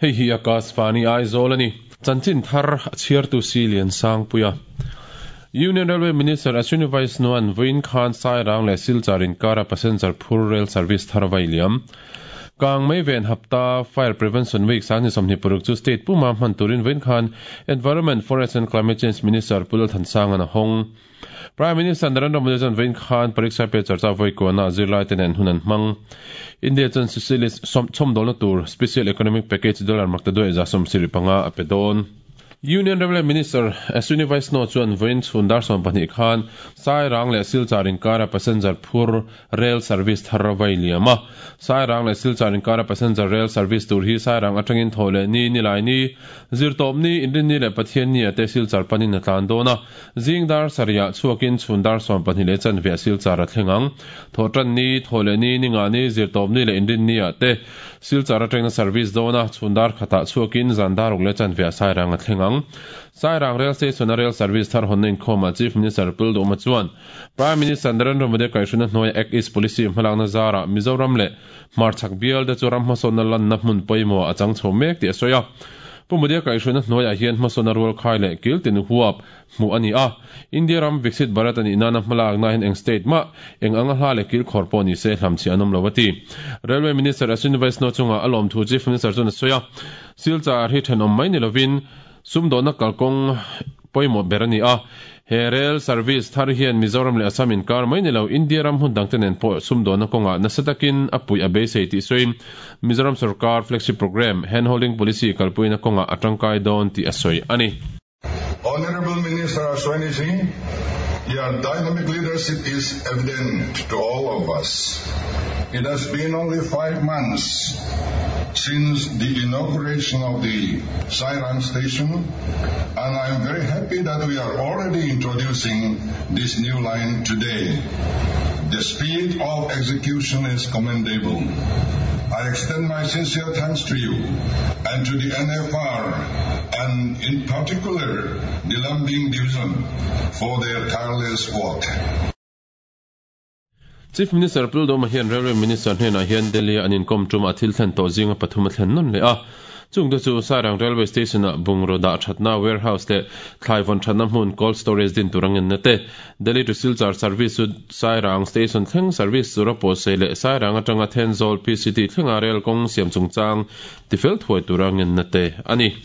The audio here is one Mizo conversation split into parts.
Hei hi Akashvani Aizawl a ni. Chanchin thar a chhiartu si Liansangpuia. Union Railway Minister Ashwini Vaishnaw-a'n vawiin khan Sairang leh Silchar inkara passenger phur rail service thar a vai liam. Kang mei ven hapta Fire Prevention Week 2026 chu state puma hman turin vawiin khan Environment, Forest and Climate Change Minister Pu Lalthansanga'n a hawng. Prime Minister Narendra Modi chuan vawiin khan Pariksha Pe Charcha vawi kuahna zirlaite nen hun an hmang. India chuan Sicily chhawmdawlna tur Special Economic Package dollar makta duai 75 a pe dawn. Union Railway Minister Ashwini Vaishnaw chuan vawiin chhun dar 12 khan Sairang leh Silchar inkara passenger phur rail service thar a vai liam a. Sairang leh Silchar inkara passenger rail service tur hi Sairang atangin thaw leh ni, Nilai ni, Zirtawp ni, Inrinni leh Pathian ni ah te Silchar panin a tlan dawn a. Zing dar sarih ah chhuakin chhun dar 12 leh chanve ah Silchar a thleng ang. Thawhtan ni, thaw leh ni, Ninga ni, Zirtawp ni leh Inrinni ah te Silchar atangin a service dawn a, chhun dar khatah chhuakin zan dar ruk leh chanve ah Sairang a thleng ang. Sairang Rail Station a rail service thar hawnna inkhawmah Chief Minister Pul Duhma chuan Prime Minister Narendra Modi kaihhruna hnuaia Act East Policy hmalakna zarah Mizoram leh Hmarchhak bial te chu ram hmasawnna lanna hmun pawimawh a chang chho mek tih a sawi a. Pu Modi-a kaihhruna hnuaiah hian hmasawnna rualkhai leh kil tin huap hmuh a ni a. India ram Viksit Bharat a nih nana hmalakna hian eng state mah eng anga hla leh kil khawr pawh ni se hlamchhiah an awm lo a ti. Railway Minister Ashwini Vaishnaw chungah a lawmthu Chief Minister chuan a sawi a. Silchar hi thenawm mai ni lovin sumdawnna kalkawng pawimawh ber a ni a. He rail service thar hian Mizoram leh Assam inkar mai ni lo India ram hmun dangte nen pawh sumdawnna kawngah nasa takin a puih a beisei tih sawiin Mizoram sorkar flagship programme hand holding policy kalpuina kawngah a tangkai dawn tih a sawi a ni. Honorable Minister Ashwini Singh, your dynamic leadership is evident to all of us. It has been only 5 months since the inauguration of the Sairang station, and I am very happy that we are already introducing this new line today. The speed of execution is commendable. I extend my sincere thanks to you and to the NFR, and in particular the Lumding Division, for their tireless work. Chief Minister Pul Doma hian Railway Minister hnenah hian Delhi-a an inkawm tumah thil thlen tawh zinga pathum a thlen nawn leh a. Chungte chu Sairang Railway Station-ah bungraw dah thatna warehouse leh thlai vawn thatna hmun cold storage din tur a ngenna te, Delhi to Silchar service chu Sairang Station thleng service tura pawhsei leh Sairang atanga Thenzawl PCT thlenga rail kawng siam chungchang tifel thuai tura ngenna te a ni.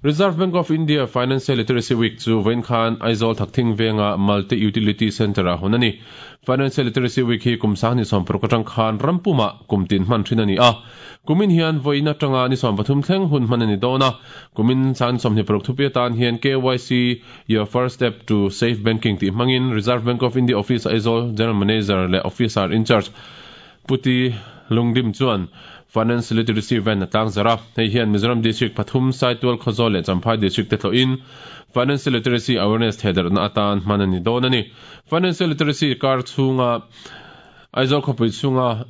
Reserve Bank of India Financial Literacy Week chu vawiin khan Aizawl Thakthing venga Multi Utility Centre ah hawn a ni. Financial Literacy Week hi kum 2016 atang khan ram pumah kum tin hman thin a ni a. Kumin hian vawiin atanga ni 13 thleng hun hman a ni dawn a. Kumin 2026 thupi atan hian KYC Your First Step to Safe Banking tih hmangin Reserve Bank of India Office Aizawl General Manager leh Officer in Charge Puti Lungdim chuan Finance Literacy Event a tlangzarh a. Hei hian Mizoram District pathum, Saitual, Khawzawl leh Champhai District te tlawhin Financial Literacy Awareness thehdarhna atan hman a ni dawn a ni. Financial Literacy kar chhunga Aizawl khawpui chhunga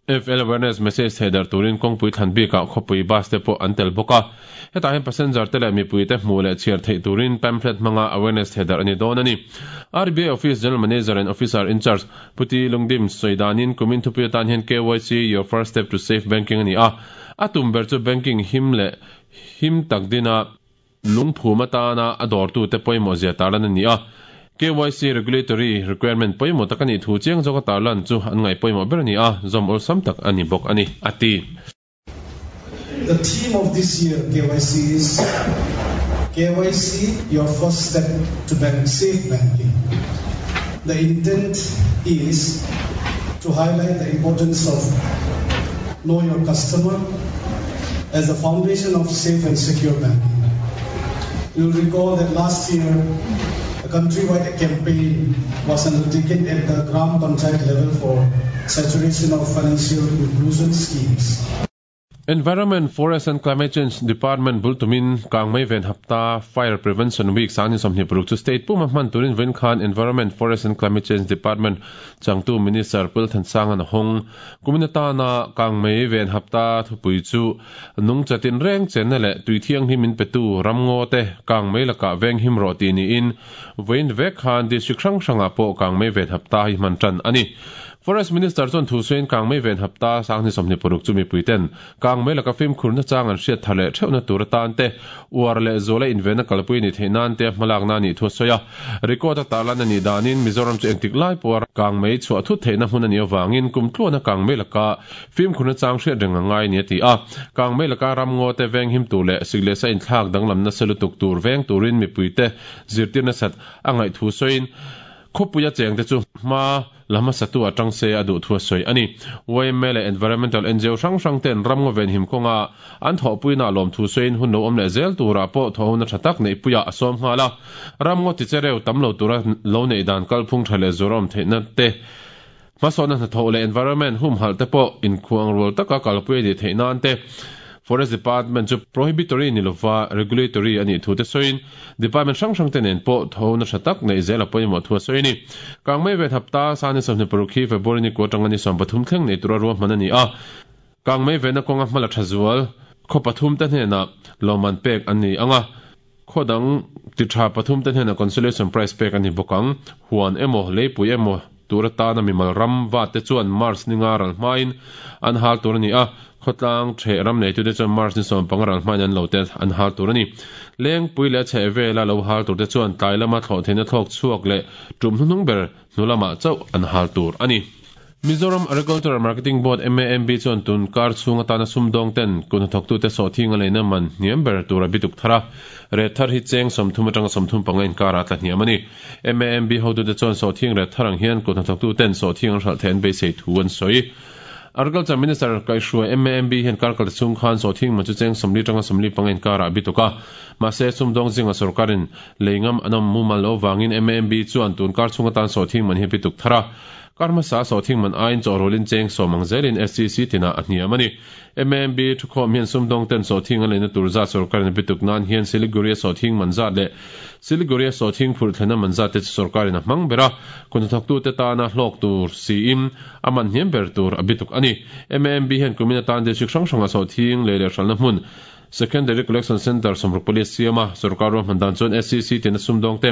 FL Awareness Message thehdarh turin kawngpui thlan bikah khawpui bus te pawh an tel bawk a. Hetah hian passenger te leh mipui te hmuh leh chhiar theih turin pamphlet hmanga awareness thehdarh a ni dawn a ni. RBI Office General Manager and Officer in Charge Puti Lungdim sawi danin kumin thupui atan hian KYC, Your First Step to Safe Banking a ni a. A tum ber chu banking him leh him tak dina lungphum atana a dawrtute pawimawh zia tarlan a ni a. KYC regulatory requirement pawimawh tak a nih thu chiang zawka tarlan chu an ngaih pawimawh ber a ni a, zawm awlsam tak a ni bawk a ni, a ti. The theme of this year KYC is KYC, your first step to bank, safe banking. The intent is to highlight the importance of know your customer as the foundation of safe and secure banking. You'll recall that last year, a countrywide campaign was undertaken at the Gram Panchayat level for saturation of financial inclusion schemes. Environment, Forest and Climate Change Department bul tumin Kangmei Ven Hapta, Fire Prevention Week, 2026 chu state puma hman turin vawiin khan Environment, Forest and Climate Change Department changtu Minister Pul Thansanga'n a hawng. Kumin atana Kangmei Ven Hapta thupui chu Nungcha tinreng chenna leh tui thianghlim in petu ramngaw te Kangmei lakah venghim rawh tih niin vawiin vek khan district hrang hrangah pawh Kangmei Ven Hapta hi hman tan a ni. Forest Minister chuan thu sawiin Kangmei Ven Hapta 2026 chu mipuiten Kangmei laka fimkhur nachang an hriat thar leh theuhna tur atan te, uar leh zuala invenna kalpui a nih theih nan te hmalakna a nih thu a sawi a. Record a tarlan a nih danin Mizoram chu engtik lai pawha kangmei chhuah thut theihna hmun a nih avangin kum tluana kangmei laka fimkhur nachang hriat reng a ngai a ni a ti a. Kangmei laka ramngaw te venghim tur leh sik leh sa inthlak danglam nasa lutuk tur veng turin mipuite zirtir nasat a ngaih thu sawiin khawpuia chengte chu hma La hmasatu a tang se a duh thu a sawi a ni. Yma leh Environmental ngo hrang hrang ten ramngaw venhim kawnga an thawhpuina lawm thu sawiin hun lo awm leh zel turah pawh thawhhona tha tak neihpuiah a sawm nghal a. Ramngaw tichereu tam lo tura lo neih dan kalphung tha leh zuar awm theihna te, hmasawnna hnathawh leh environment humhalh te pawh inkhuang rual taka kalpui a nih theih nan te Forest Department chu prohibitory ni lova regulatory a nih thu te sawiin Department hrang hrang te nen pawh thawhna tha tak neih zel a pawimawh thu a sawi a ni. Kangmei ven hapta Sani 26 hi February ni kua atanga ni 13 thleng nei tura ruahman a ni a. Kangmei venna kawnga hmala tha zual khaw pathum te hnenah lawmman pek an ni ang a. Khaw dang ti tha pathum te hnenah consolation prize pek a ni bawk ang. Huan emaw, leipui emaw tur atana mimal ram vat te chuan March ni nga ral hmain an hal tur a ni a, khawtlang theh ram neitute chuan March ni 15 ral hmain an lo te an hal tur a ni. Lengpui leh a chheh vela lo hal tur te chuan tlai lama thlawh theihna thlawk chhuak leh tum hnuhnung ber hnu lamah chauh an hal tur a ni. Mizoram Agricultural Marketing Board, MAMB, chuan tun kar chhung atana sumdawng ten kut hnathawktute sawhthing a leina man hniam ber tur a bituk thar a, ret thar hi cheng 30 atanga 35 inkarah a tla hniam a ni. MAMB hotute chuan sawhthing ret thar ang hian kut hnathawktuten sawhthing an hralh theih an beisei thu an sawi. Agriculture Minister kaihhruai MAMB hian kar kal chhung khan sawhthing man chu cheng 40 atanga 45 inkarah a bituk a, mahse sumdawng zinga sorkarin lei ngam an awm mumal loh vangin MAMB chuan tun kar chhung atan sawhthing man hi a bituk thar a. Kar hmasa sawhthing man aiin chawhrawlin cheng sawm ang zelin SCC tinah a hniam a ni. MAMB thukhawm hian sumdawng ten sawhthing an leina tur zat sorkarin a bituk nan hian Siliguri-a sawhthing man zat leh Siliguri-a sawhthing phurh thlenna man zat te chu sorkarin a hmang ber a, kut hnathawktute tana hlawk tur siin a man hniam ber tur a bituk a ni. MAMB hian kumin atan district hrang hranga sawhthing lei leh hralhna hmun Secondary Collection Centre 64 a siam a, sorkar ruahman dan chuan SCC tina sumdawng te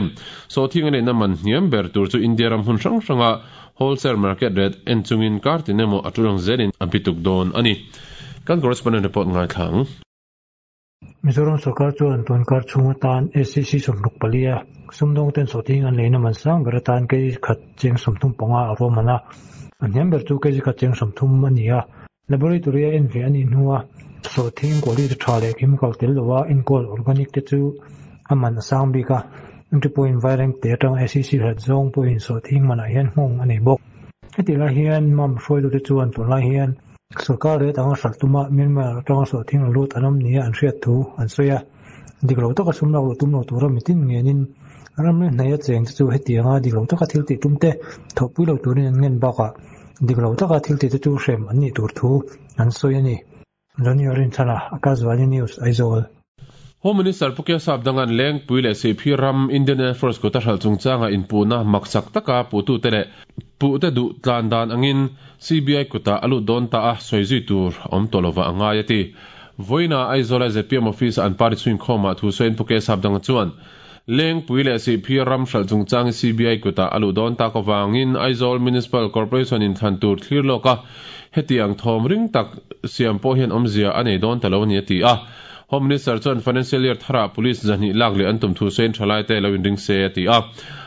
sawhthing a neihna man hniam ber tur chu India ram hmun hrang hranga wholesale market rate en chungin kar tin emaw a tul ang zelin a bituk dawn a ni. Kan correspondent report ngaithla ang. Mizoram sorkar chuan tun kar chhung atan SCC 64 a sumdawng ten sawhthing an leina man sang ber atan kg khat cheng 35 a ruahman a, a hniam ber chu kg khat cheng 30 a ni a. Laboratory a en ve a nih hnua sawhthing quality tha leh chemical tel lova enkawl organic te chu a man a sang bik a, entry point vaireng te atanga SEC hlat zawng pawhin sawhthing manah hian nghawng a nei bawk. Hetih lai hian mam hruaitute chuan tunlai hian sorkar rate anga hralh tuma Myanmar atanga sawhthing la lut an awm nia an hriat thu an sawi a, dik lo taka sum lak luh tum lo tura mitin ngenin ramri hnaia cheng te chu hetianga dik lo taka thil tih tum te thawhpui lo turin an ngen bakah Dik lo taka thil tihte chu hrem an nih tur thu an sawi a ni. Johnny Orinthana, Akashvani News, Aizawl. Home Minister Pu Kesap Dangan Lengpui leh Sihphir ram Indian Air Force kuta hralh chungchanga inpuhna maksak taka puhtute leh puhte duh tlan dan angin CBI kutah a lut dawn ta a, sawi zui tur awm tawh lovah a ngai a ti. Vawiina Aizawla zpm Office-a an party chhuinkhawmah thu sawiin Pu Kesap Danga chuan, Lengpui leh Sihphir ram hralh chungchang hi CBI kutah a luh dawn tak avangin Aizawl Municipal Corporation in thlan tur thlir lawk a, hetiang thawm ring tak siam pawh hian awmzia a nei dawn ta lo a ni a ti a. Home Minister chuan Financial Year tharah Police zahnih lak leh an tum thu sawiin thalaite lo inring se a ti a.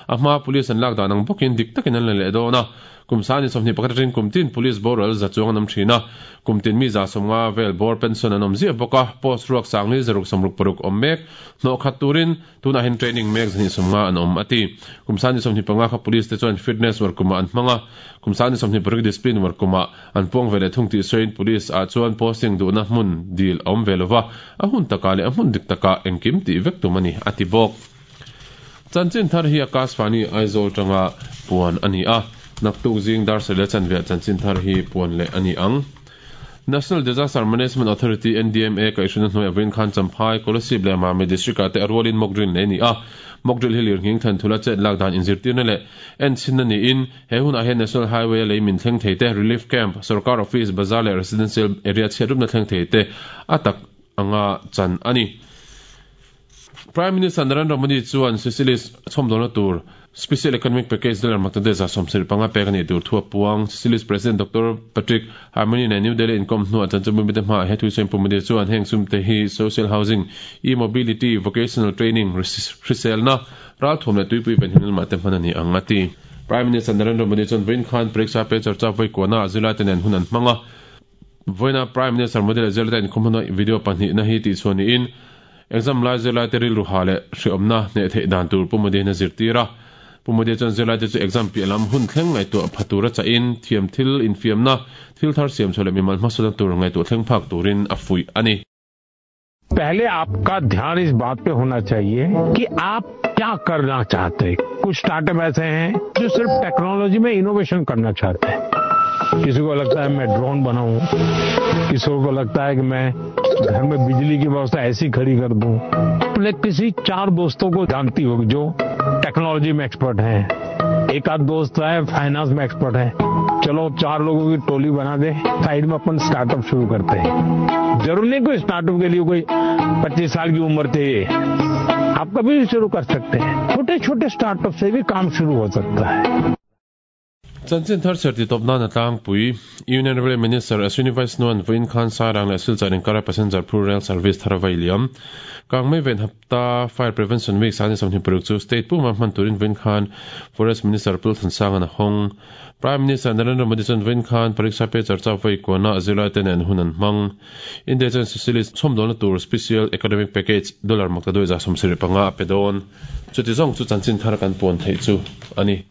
A hmaa Police an lak dan ang bawkin dik takin an la leh dawn a. Kum sani 21 atangin kum tin Police boral za chuang an awm thin a, kum tin mi 50 vel bawr pension an awm ziah bawk a, post ruak sangli 666 awm mek hnawh khat turin tunah hian training mek 250 an awm a ti. Kum sani 25 kha Police te chuan fitness war kumah an hmang a, kum sani 26 discipline war kumah an puang ve leh thung tih sawiin Police ah chuan posting duhna hmun dil a awm ve lova, a hun takah leh a hmun dik takah engkim tih vek tum a ni a ti bawk. Chanchin thar hi Akashvani Aizawl tanga puan a ni a, naktuk zing dar sarih leh chanve ah chanchin thar hi puan leh a ni ang. National Disaster Management Authority, NDMA, kaihhruina hnuaiah vawiin khan Champhai, Kolasib leh Mami District ah te a rualin mock drill nei a ni a. Mock drill hi lirnghing than thula chet lak dan inzirtirna leh enchhinna niin he hunah hian National Highway a lei min thleng thei te, Relief Camp, Sorkar Office, Bazar leh Residential Area chhiatrupna thleng thei te a tak anga chan a ni. Prime Minister Narendra Modi chuan Seychelles chhawmdawlna tur Special Economic Package dollar maktaduai 75 pek a nih tur thu a puang. Seychelles President Doctor Patrick Herminie nen New Delhi inkawm hnuah chanchinbumite hmaah he thusawiin Pu Modi chuan heng sumte hi social housing, e-mobility, vocational training, hriselna, ralthuam leh tuipui venhimna lamah te hman a ni ang a ti. Prime Minister Narendra Modi chuan vawiin khan Pariksha Pe Charcha vawikuahnaah zirlaite nen hun an hmang a. Vawiina Prime Minister Modi leh zirlaite inkhawm huna video pahnihna hi tihchhuah niin exam lai zirlaite rilru ha leh hreawmna hneh theih dan tur Pu Modi hian a zirtir a. Pu Modi chuan zirlaite chu exam piah lam hun thleng ngaihtuah pha tura chahin thiam thil infiamna, thil thar siamchhuah leh mimal hmasawnna tur ngaihtuah thleng phak turin a fuih a ni. पहले आपका ध्यान इस बात पे होना चाहिए कि आप क्या करना चाहते हैं। कुछ स्टार्टअप ऐसे हैं जो सिर्फ टेक्नोलॉजी में इनोवेशन करना चाहते हैं। किसी को लगता है मैं ड्रोन बनाऊं, किसी को लगता है कि मैं घर में बिजली की व्यवस्था ऐसी खड़ी कर दूं। अपने किसी 4 दोस्तों को जानती होगी जो टेक्नोलॉजी में एक्सपर्ट हैं, एक आध दोस्त है फाइनेंस में एक्सपर्ट है। चलो 4 लोगों की टोली बना दे, साइड में अपन स्टार्टअप शुरू करते हैं। जरूरी नहीं कोई स्टार्टअप के लिए कोई 25 साल की उम्र चाहिए, आप कभी भी शुरू कर सकते हैं। छोटे छोटे स्टार्टअप से भी काम शुरू हो सकता है। Chanchin thar serh titawp nan a tlangpui. Union Railway Minister Ashwini Vaishnaw-a'n vawiin khan Sairang leh Silchar inkara passenger phur rail service thar a vai liam. Kangmei ven hapta Fire Prevention Week sani 26 chu state puma hman turin vawiin khan Forest Minister Pul Thansang-a'n a hawng. Prime Minister Narendra Modi chuan vawiin khan Pariksha Pe Charcha vawi kuana zirlai te nen hun an hmang. India chuan Seychelles chhawmdawlna tur Special Economic Package dollar maktaduai 75 a pe dawn. Chuti zawng chu chanchin thar kan puan theih chu a ni.